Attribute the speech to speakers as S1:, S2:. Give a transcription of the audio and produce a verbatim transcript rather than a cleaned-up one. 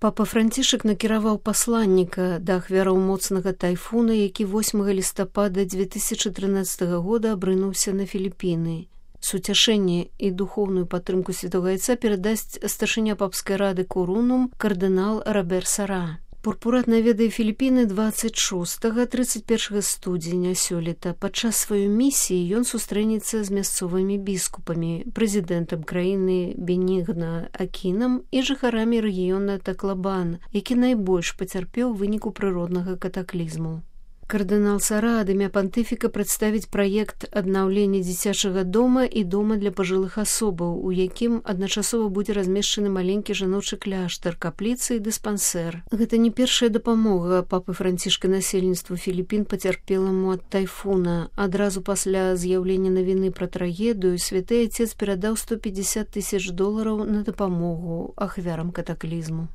S1: Папа Францішак накіраваў пасланніка да ахвяраў моцнага тайфуна, які восьмага лістапада дзве тысячы трынаццатага года абрынуўся на Філіпіны. Суцяшэнне і духоўную падтрымку святога айца перадасць старшыня папскай рады Курунум кардынал Робер Сара. Пурпурат наведае Філіпіны дваццаць шостага - трыццаць першага студзеня сёлета. Падчас сваёй місіі ён сустрэнецца з мясцовымі біскупамі, прэзідэнтам краіны Бенігна Акінам і жыхарамі рэгіёна Таклабан, які найбольш пацярпеў у выніку прыроднага катаклізму. Кардынал Сара ад імя пантыфіка прадставіць праект аднаўлення дзіцячага дома і дома для пажылых асобаў, у якім адначасова будзе размешчаны маленькі жаночы кляштар, капліцы і дыспансер. Гэта не першая дапамога папы Францішка насельніцтву Філіпін пацярпеламу ад тайфуна. Адразу пасля з'яўлення навіны пра трагедыю святы айцец перадаў сто пятьдесят тысяч долараў на дапамогу ахвярам катаклізму.